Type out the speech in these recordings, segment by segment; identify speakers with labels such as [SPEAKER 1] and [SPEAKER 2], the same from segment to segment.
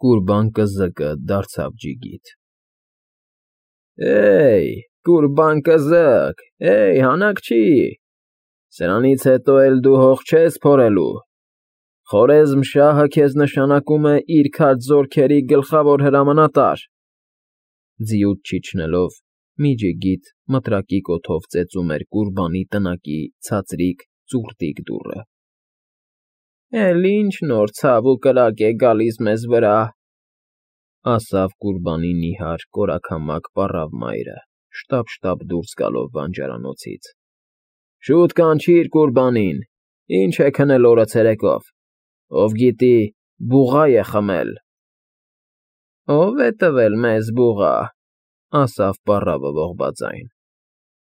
[SPEAKER 1] Կուրբան կզկը դարձավ ջիգիթ։ Էй, կուրբան կզկ, հանակչի, սրանից հետո էլ դու հող չես փորելու, Խորեզմ֊շահը քեզ նշանակում է իր քաջ զորքերի գլխավոր հրամանատար։ Ձիուց չիջնելով, մի ջիգիթ մտրակի կոթով ծեծում էր Կուրբանի տնակի ցածրիկ ծուռտիկ դուռը։ Էլ ինչ նոր ցավ ու կրակ է գալիս մեզ վրա, ասավ Կուրբանի նիհար կորաքամակ պառավ մայրը, շտապ դուրս գալով բանջարանոցից։ Շուտ կանչիր Կուրբանին, ինչ է քնել օրը ցերեկով, ով գիտի, բուղա է խմել։ Ո՞վ է տվել մեզ բուղա, ասավ պառավը ողբաձայն։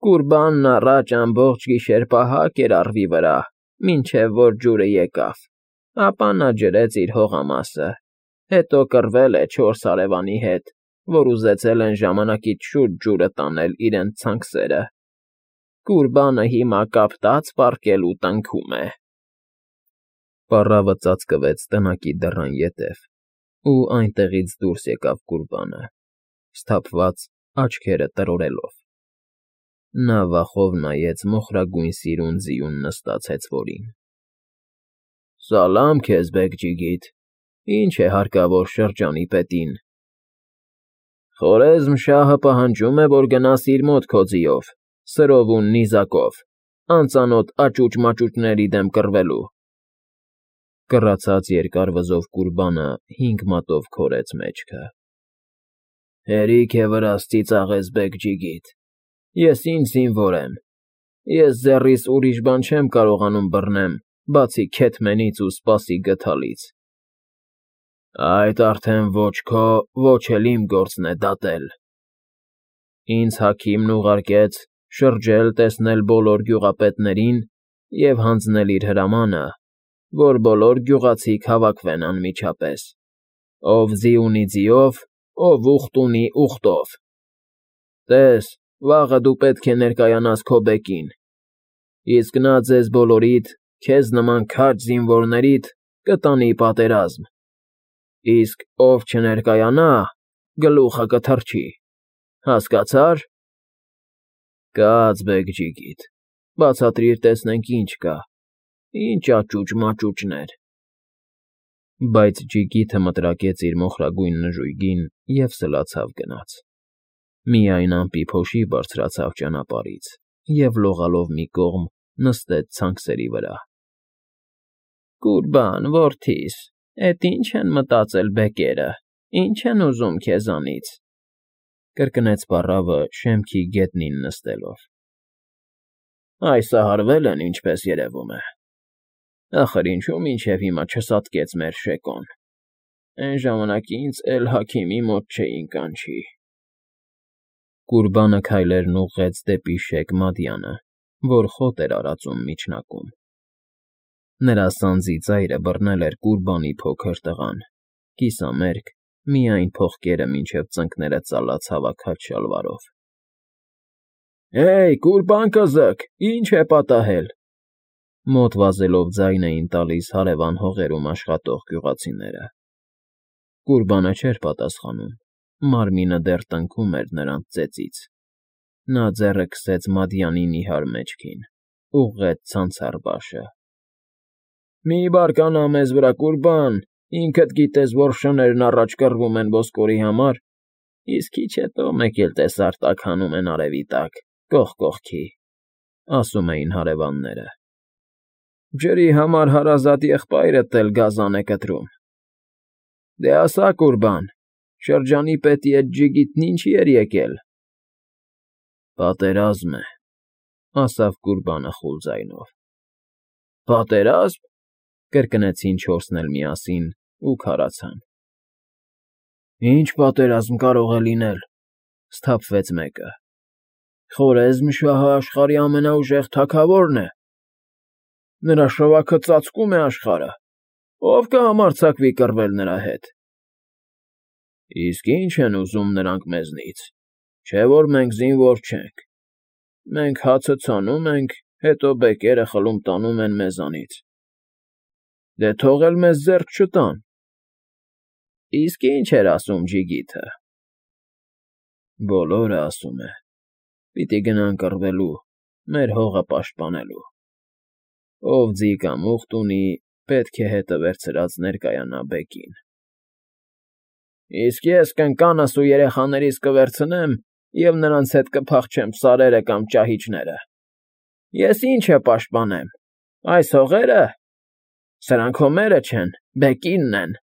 [SPEAKER 1] Կուրբանն առաջ ամբողջ գիշեր պահակ էր առվի վրա, մինչև որ ջուրը եկավ, ապա նա ջրեց իր հողամասը, հետո կռվել է 4 հարևանի հետ, որ ուզեցել են ժամանակից շուտ ջուրը տանել իրենց ցանքսերը։ Կուրբանը հիմա կապտած պառկել ու տնքում է։ Պառավը ծածկվեց տնակի դռան ետև, ու այնտեղից դուրս եկավ Կուրբանը, սթափված աչքերը տրորելով։ Նա վախով նայեց մոխրագույն սիրուն ձիուն նստած հեծվորին։ Սալամ քեզ, բեգ֊ջիգիթ, ինչ է հարկավոր շրջանի պետին։ Խորեզմ֊շահը պահանջում է, որ գնաս իր մոտ քո ձիով, սրով ու նիզակով, անծանոթ աճուճ֊մաճուճների դեմ կռվելու։ Կռացած երկար վզով Կուրբանը 5 մատով քորեց մեջքը։ Հերիք է վրաս ծիծաղես, բեգ֊ջիգիթ, ես ինչ զինվոր եմ, ես ձեռիս ուրիշ բան չեմ կարողանում բռնեմ, բացի քեթմենից ու սպասի գդալից։ Այդ արդեն ոչ քո, ոչ էլ իմ գործն է դատել։ Ինձ հաքիմն ուղարկեց շրջել տեսնել բոլոր գյուղապետներին և հանձնել իր հրամանը, որ բոլոր գյուղացիք հավաքվեն անմիջապես, ով ձի ունի ձիով, ով ուխտ ունի ուխտով։ Տես, վաղը դու պետք է ներկայանաս քո բեկին, իսկ նա ձեզ բոլորիդ, քեզ նման քաջ զինվորներիդ կտանի պատերազմ, իսկ ով չներկայանա, գլուխը կթռչի, հասկացա՞ր։ Կաց, բեգ֊ջիգիթ, բացատրիր տեսնենք ինչ կա, ինչ աճուճ֊մաճուճներ։ Բայց ջիգիթը մտրակեց իր մոխրագույն նժույգին և սլացավ գնաց։ Միայն ամպի փոշի բարձրացավ ճանապարհից և լողալով մի կողմ նստեց ցանքսերի վրա։ Կուրբան, որդիս, էդ ինչ են մտածել բեկերը, ինչ են ուզում քեզանից, կրկնեց պառավը շեմքի գետնին նստելով։ Այսահարվել են, ինչպես երևում է։ Ախր ինչու մինչև հիմա չսատկեց մեր Շեկոն։ Էն ժամանակինց էլ հաքիմի մոտ չէին կանչի։ Կուրբանը քայլերն ուղղեց դեպի Շեկ Մադյանը, որ խոտ էր արածում միջնակում։ Նրա սանձի ծայրը բռնել էր Կուրբանի փոքր տղան, կիսամերկ, միայն փողկերը մինչև ծնկները ծալած հավաքած շալվարով։ Կուրբան կզկ, ինչ է պատահել, մոտ վազելով ձայն էին տալիս հարևան հողերում աշխատող գյուղացիները։ Կուրբանը չէր պատասխանում, մարմինը դեռ տնքում էր նրանց ծեծից։ Նա ձեռը քսեց Մադյանի նիհար մեջքին, ուղղեց ցանցառբաշը։ Մի բարկանա մեզ վրա, Կուրբան, ինքդ գիտես, որ շներն առաջ կռվում են ոսկորի համար, իսկ քիչ հետո մեկ էլ տեսար տակ հանում են արևի տակ, կողք կողքի, ասում էին հարևանները։ Ջրի համար հարազատ եղբայրդ էլ գազան է կտրում։ Դե ասա, Կուրբան, շրջանի պետի էդ ջիգիթն ինչի էր եկել։ Պատերազմ է, ասավ Կուրբանը խուլ ձայնով։ Պատերազմ, կրկնեցին չորսն էլ միասին ու քարացան։ Ինչ պատերազմ կարող է լինել, սթափվեց մեկը։ Խորեզմ֊շահը աշխարհի ամենաուժեղ թագավորն է։ Նրա շվաքը ծածկում է աշխարհը, ով կհամարձակվի կռվել նրա հետ։ Իսկ ինչ են ուզում նրանք մեզնից, չէ որ մենք զինվոր չենք։ Մենք հացը ցանում ենք, հետո բեկերը խլում տանում են մեզանից։ Դե թող էլ մեզ ձեռք չտան։ Իսկ ինչ էր ասում ջիգիթը։ Բոլորը ասում է. պիտի գնան կռվելու, մեր հողը պաշտպանելու։ Ով ձի կամ ուխտ ունի, պետք է հետը վերցրած ներկայանա բեկին։ Իսկ ես կնկանս ու երեխաներիս կվերցնեմ և նրանց հետ կփախչեմ սարերը կամ ճահիճները։ Ես ի՞նչը պաշտպանեմ, այս հողե՞րը։ Սրանք հո մերը չեն, բեկինն են։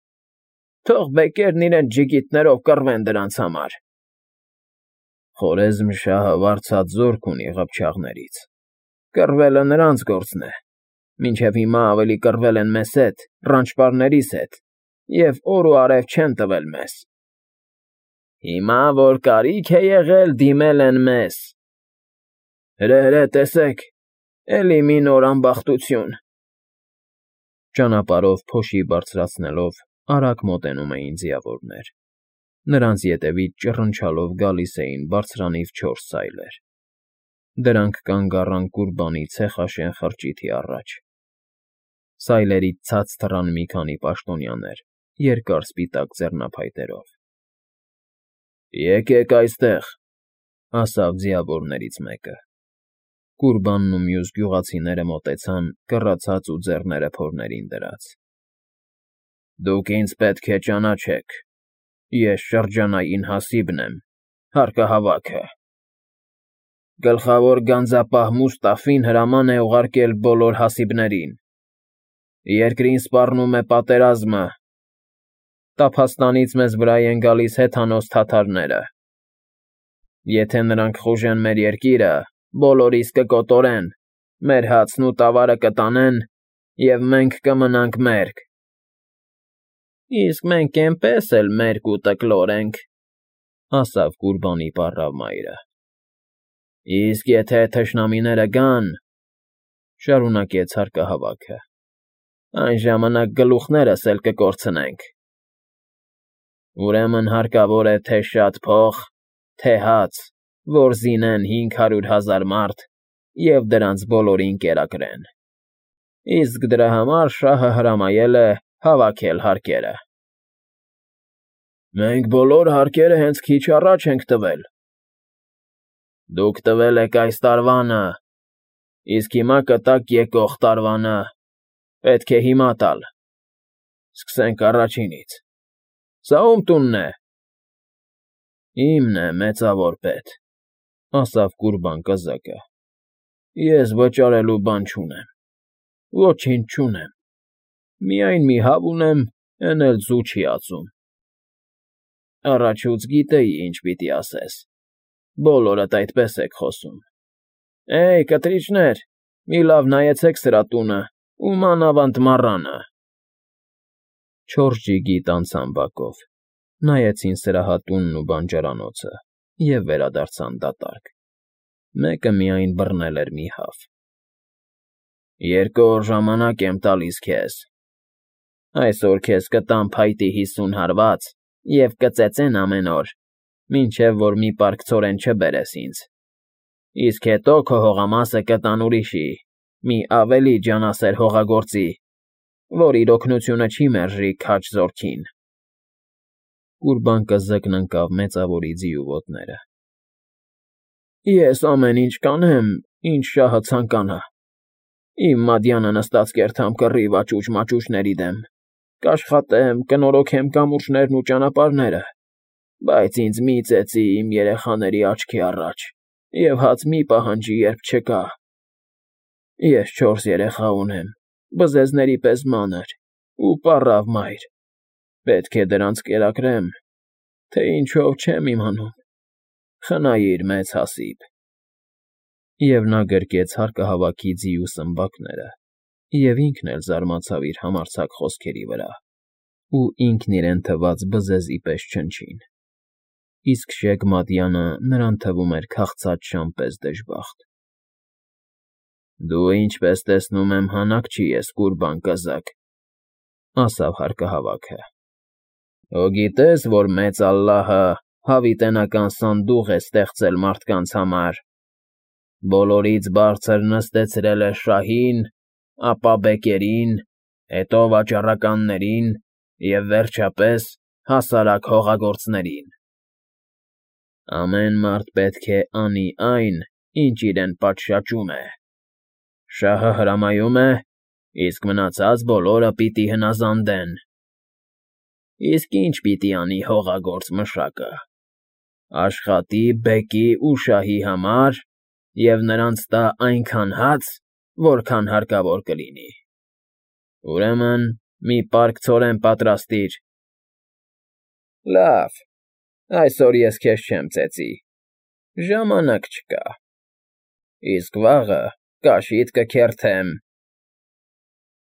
[SPEAKER 1] Թող բեկերն իրենց ջիգիտներով կռվեն դրանց համար։ Խորեզմշահը վարձած զորք ունի ղփչաղներից։ Կռվելը նրանց գործն է։ Մինչև հիմա ավելի կռվել են մեզ հետ, ռանչպարներիս հետ, և օր ու արև չեն տվել մեզ։ Հիմա, որ կարիք է եղել, դիմել են մեզ։ Հրե, տեսեք, էլի մի նոր ամբախտություն։ Ճանապարհով փոշի բարձրացնելով արագ մոտենում էին ձիավորներ։ Նրանց ետևից ճռնչալով գալիս էին բարձրանիվ 4 սայլեր։ Դրանք կանգ առան Կուրբանի ցեխաշեն խրճիթի առաջ։ Սայլերից ցած թռան մի քանի պաշտոնյաներ, երկար սպիտակ ձեռնափայտերով։ Եկեք այստեղ, ասավ ձիավորներից մեկը։ Կուրբանն ու մյուս գյուղացիները մոտեցան, կռացած ու ձեռները փորներին դրած։ Դուք ինձ պետք է ճանաչեք։ Ես շրջանային հասիբն եմ, հարկահավաքը։ Գլխավոր գանձապահ Մուստաֆին հրաման է ուղարկել բոլոր հասիբներին։ Երկրին սպառնում է պատերազմը։ Տափաստանից մեզ վրա են գալիս հեթանոս թաթարները։ Եթե նրանք խուժեն մեր երկիրը, բոլորիս կկոտորեն, մեր հացն ու տավարը կտանեն, և մենք կմնանք մերկ։ Իսկ մենք էնպես էլ մերկ ու տկլոր ենք, ասավ Կուրբանի պառավ մայրը։ Իսկ եթե թշնամիները գան, շարունակեց հարկահավաքը, այն ժամանակ գլուխներս էլ կկորցնենք։ Ուրեմն հարկավոր է թե շատ փող, թե հաց, որ զինեն 500,000 մարդ և դրանց բոլորին կերակրեն։ Իսկ դրա համար շահը հրամայել է հավաքել հարկերը։ Մենք բոլոր հարկերը հենց քիչ առաջ ենք տվել։ Դուք տվել եք այս տարվանը, իսկ հիմա կտաք եկող տարվանը, պետք է հիմա տալ։ Սկսենք առաջինից։ Սա ում տունն է։ Իմն է, մեծավոր պետ, ասավ Կուրբան կզակը։ Ես վճարելու բան չունեմ։ Ոչինչ չունեմ։ Միայն մի հավ ունեմ, էն էլ ձու չի ածում։ Առաջուց գիտեի, ինչ պիտի ասես։ Բոլորդ այդպես եք խոսում։ Էյ, կտրիչներ, մի լավ նայեցեք սրա տունը ու մանավանդ մառանը։ 4 ջիգիտ անցան բակով, նայեցին սրահատունն ու բանջարանոցը և վերադարձան դատարկ։ Մեկը միայն բռնել էր մի հավ։ 2 օր ժամանակ եմ տալիս քեզ։ Այսօր քեզ կտամ փայտի 50 հարված և կծեծեն ամեն օր, մինչև որ մի պարկ ցորեն չբերես ինձ։ Իսկ հետո քո հողամասը կտան ուրիշի, մի ավելի ջանասեր հողագործի, որ իր օգնությունը չի մերժի քաջ զորքին։ Կուրբան կզկն ընկավ մեծավորի ձիու ոտները։ Ես ամեն ինչ կանեմ, ինչ շահը ցանկանա։ Իմ մադյանը նստած կերթամ կռիվ աճուճ-մաճուճների դեմ, կաշխատեմ, կնորոգեմ կամուրջներն ու ճանապարհները, բայց ինձ մի ծեծի իմ երեխաների աչքի առաջ և հաց մի պահանջի, երբ չկա։ Ես 4 երեխա ունեմ, բզեզների պես մանր ու պառավ մայր։ Պետք է դրանց կերակրեմ, թե ինչով չեմ իմանում։ Խնայիր մեծ հասիբ։ Եվ նա գրկեց հարկահավաքի ձիու սմբակները, և ինքն էլ զարմացավ իր համարձակ խոսքերի վրա, ու ինքն իրեն թված բզեզի պես չնչին։ Իսկ շեգմադյանը նրան թվում էր քաղցած շան պես դժբախտ։ Դու ինչպես տեսնում եմ հանակ չի ես, Կուրբան կզակ, ասավ հարկահավաքը։ Հո գիտես, որ մեծ Ալլահը հավիտենական սանդուղ է ստեղծել մարդկանց համար։ Բոլորից բարձր նստեցրել է շահին, ապա բեկերին, հետո վաճառականներին և վերջապես հասարակ հողագործներին։ Ամեն մարդ պետք է անի այն, ինչ իրեն պատշաճում է։ Շահը հրամայում է, իսկ մնացած բոլորը պիտի հնազանդեն։ Իսկ ինչ պիտի անի հողագործ մշակը։ Աշխատի բեկի ու շահի համար և նրանց տա այնքան հաց, որքան հարկավոր կլինի։ Ուրեմն մի պարկ ցորեն պատրաստիր։ Լավ, այսօր ես քեզ չեմ ծեծի, ժամանակ չկա, իսկ վաղը կաշիդ կքերթեմ։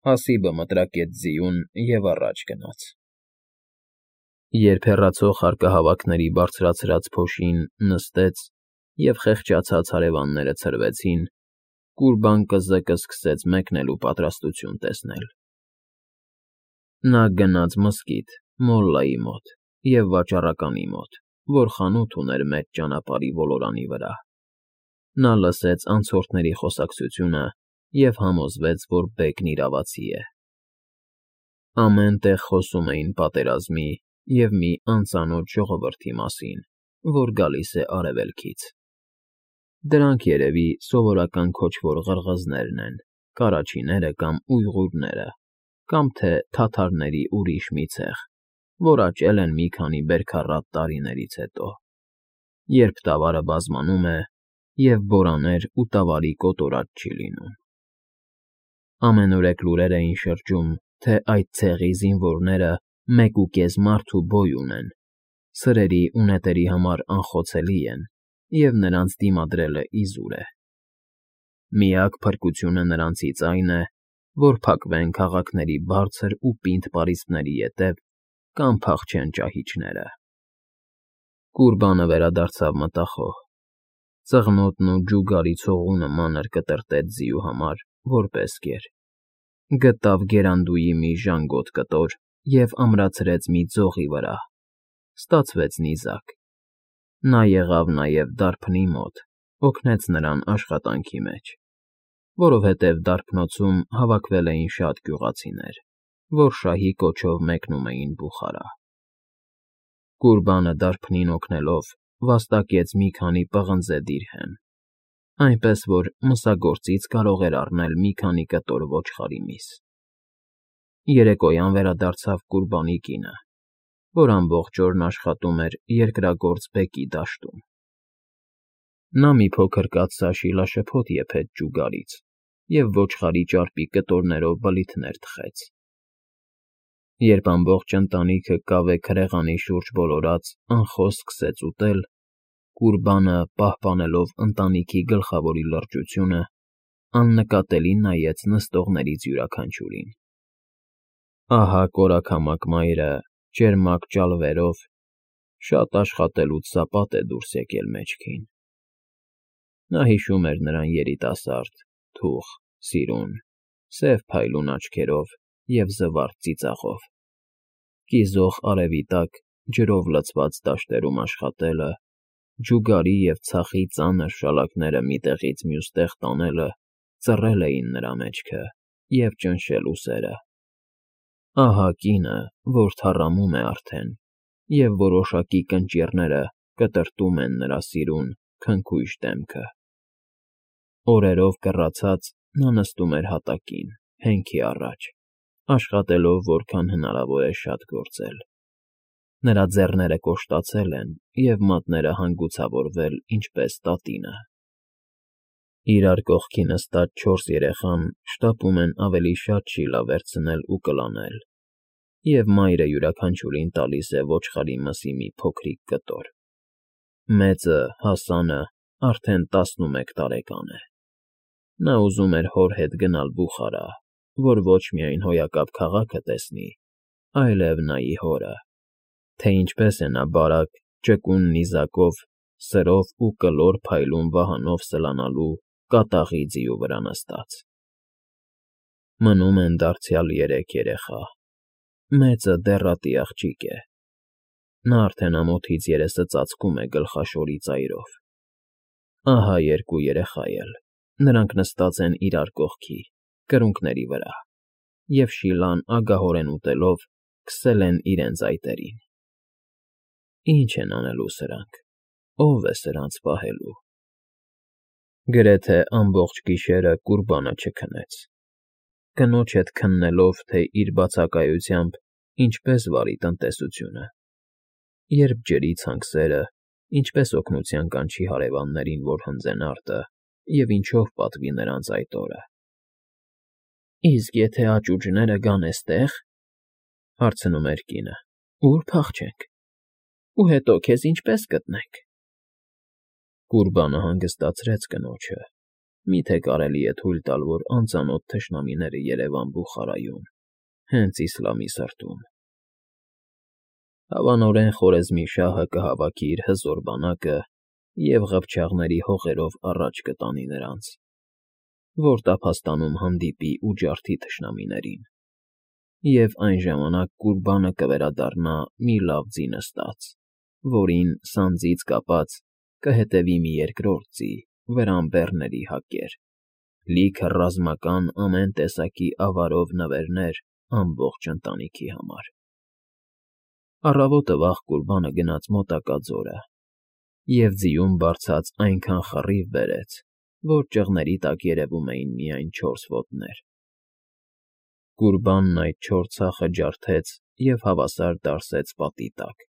[SPEAKER 1] Հասիբը մտրակեց ձիուն և առաջ գնաց։ Երբ հեռացող հարկահավաքների բարձրացրած փոշին նստեց և խեղճացած հարևանները ցրվեցին, Կուրբան կզկը սկսեց մեկնելու պատրաստություն տեսնել։ Նա գնաց մզկիթ մոլլայի մոտ և վաճառականի մոտ, որ խանութ ուներ մեծ ճանապարհի ոլորանի վրա։ Նա լսեց անցորդների խոսակցությունը և համոզվեց, որ բեկն իրավացի է։ Ամեն տեղ խոսում էին պատերազմի և մի անծանոթ ժողովրդի մասին, որ գալիս է արևելքից։ Դրանք երևի սովորական քոչվոր ղրղզներն են, կարաչիները կամ ույղուրները, կամ թե թաթարների ուրիշ մի ցեղ, որ աճել են մի քանի բերքառատ տարիներից հետո, երբ տավարը բազմանում է և բորաներ ու տավարի կոտորած չի լինում։ Ամենուրեք լուրեր էին շրջում, թե այդ ցեղի զինվորները 1.5 մարդու բոյ ունեն, սրերի ու նետերի համար անխոցելի են, և նրանց դիմադրելը իզուր է։ Միակ փրկությունը նրանցից այն է, որ փակվեն քաղաքների բարձր ու պինդ պարիսպների ետև կամ փախչեն ճահիճները։ Կուրբանը վերադարձավ մտախոհ։ Ծղնոտն ու ջուգարի ցողունը մանր կտրտեց ձիու համար, որպես կեր։ Գտավ գերանդուի մի ժանգոտ կտոր և ամրացրեց մի ձողի վրա։ Ստացվեց նիզակ։ Նա եղավ նաև դարբնի մոտ, օգնեց նրան աշխատանքի մեջ, որովհետև դարբնոցում հավաքվել էին շատ գյուղացիներ, որ շահի կոչով մեկնում էին Բուխարա։ Կուրբանը դարբնին օգնելով վաստակեց մի քանի պղնձե դիրհեմ, այնպես որ մսագործից կարող էր առնել մի քանի կտոր ոչխարի միս։ Երեկոյան վերադարձավ Կուրբանի կինը, որ ամբողջ օրն աշխատում էր երկրագործ բեկի դաշտում։ Նա մի փոքր կաթսա շիլաշփոթ եփեց ջուգարից և ոչխարի ճարպի կտորներով բլիթներ թխեց։ Երբ ամբողջ ընտանիքը կավե քրեղանի շուրջ ոլորած անխոս սկսեց ուտել, Կուրբանը, պահպանելով ընտանիքի գլխավորի լրջությունը, աննկատելի նայեց նստողներից յուրաքանչյուրին։ Ահա կորաքամակ մայրը ճերմակ ճալվերով շատ աշխատելուց սապատ է դուրս եկել մեջքին։ Նա հիշում էր նրան երիտասարդ, թուխ, սիրուն, սև փայլուն աչքերով և զվարթ ծիծաղով։ Կիզող արևի տակ ջրով լցված դաշտերում աշխատելը, ջուգարի և ցախի ծանր շալակները մի տեղից մյուս տեղ տանելը ծռել էին նրա մեջքը և ճնշել ուսերը։ Ահա կինը, որ թառամում է արդեն, և որոշակի կնճիռները կտրտում են նրա սիրուն, քնքուշ դեմքը։ Օրերով կռացած նա նստում էր հատակին, հենքի առաջ, աշխատելով որքան հնարավոր է շատ գործել։ Նրա ձեռները կոշտացել են և մատները հանգուցավորվել ինչպես տատինը։ Իրար կողքի նստած 4 երեխան շտապում են ավելի շատ շիլա վերցնել ու կլանել, և մայրը յուրաքանչյուրին տալիս է ոչխարի մսի մի փոքրիկ կտոր։ Մեծը՝ Հասանը, արդեն 11 տարեկան է։ Նա ուզում էր հոր հետ գնալ Բուխարա, որ ոչ միայն հոյակապ քաղաքը տեսնի, այլև նայի հորը, թե ինչպես է նա բարակ, ճկուն նիզակով, սրով ու կլոր փայլուն վահանով սլանալու կատաղի ձիու վրա նստած։ Մնում են դարձյալ 3 երեխա։ Մեծը դեռատի աղջիկ է։ Նա արդեն ամոթից երեսը ծածկում է գլխաշորի ծայրով։ Ահա 2 երեխա էլ, նրանք նստած են իրար կողքի, կրունկների վրա, և շիլան ագահորեն ուտելով՝ քսել են իրենց այտերին։ Ինչ են անելու սրանք, ով է սրանց պահելու։ Գրեթե ամբողջ գիշերը Կուրբանը չքնեց, կնոջ հետ քննելով, թե իր բացակայությամբ ինչպես վարի տնտեսությունը, երբ ջրի ցանքսերը, ինչպես օգնության կանչի հարևաններին, որ հնձեն արտը, և ինչով պատվի նրանց այդ օրը։ Իսկ եթե աճուճները գան էստեղ, հարցնում էր կինը, ուր փախչենք, ու հետո քեզ ինչպես գտնենք։ Կուրբանը հանգստացրեց կնոջը, միթե կարելի է թույլ տալ, որ անծանոթ թշնամիները երևան Բուխարայում, հենց իսլամի սրտում։ Հավանորեն խորեզմի շահը կհավաքի իր հզոր բանակը և ղփչաղների հողերով առաջ կտանի նրանց, որ տափաստանում հանդիպի ու ջարդի թշնամիներին, և այն ժամանակ Կուրբանը կվերադառնա մի լավ ձի նստած, որին, սանձից կապած, կհետևի մի երկրորդ ձի, վրան բեռների հակեր, լիքը ռազմական ամեն տեսակի ավարով նվերներ ամբողջ ընտանիքի համար։ Առավոտը վաղ Կուրբանը գնաց մոտակա ձորը և ձիում բարձած այնքան խռիվ բերեց, որ ճղների տակ երևում էին միայն 4 ոտներ։ Կուրբանն այդ 4 ցախը ջարդեց և հավասար դարսեց պատի տակ։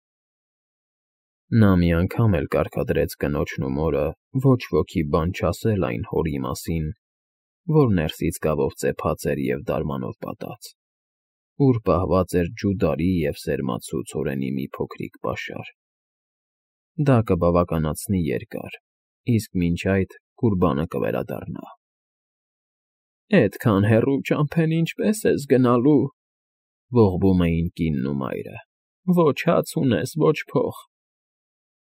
[SPEAKER 1] Նա մի անգամ էլ կարգադրեց կնոջն ու մորը ոչ ոքի բան չասել այն հորի մասին, որ ներսից գավով ծեփած էր և դարմանով պատած, ուր պահված էր ջուդարի և սերմացու ցորենի մի փոքրիկ պաշար։ Դա կբավականացնի երկար, իսկ մինչ այդ Կուրբանը կվերադառնա։ Էդքան հեռու ճամփեն ինչպե՞ս ես գնալու, ողբում էին կինն ու մայրը, ոչ հաց ունես, ոչ փող,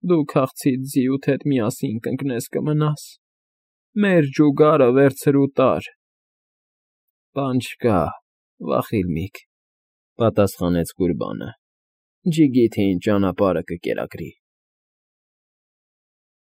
[SPEAKER 1] դու քաղցից ձիուդ հետ միասին կընկնես կմնաս, մեր ջուգարը վերցրու տար։ Բան չկա, վախիլմիք, պատասխանեց Կուրբանը, ջիգիթին ճանապարհը կկերակրի։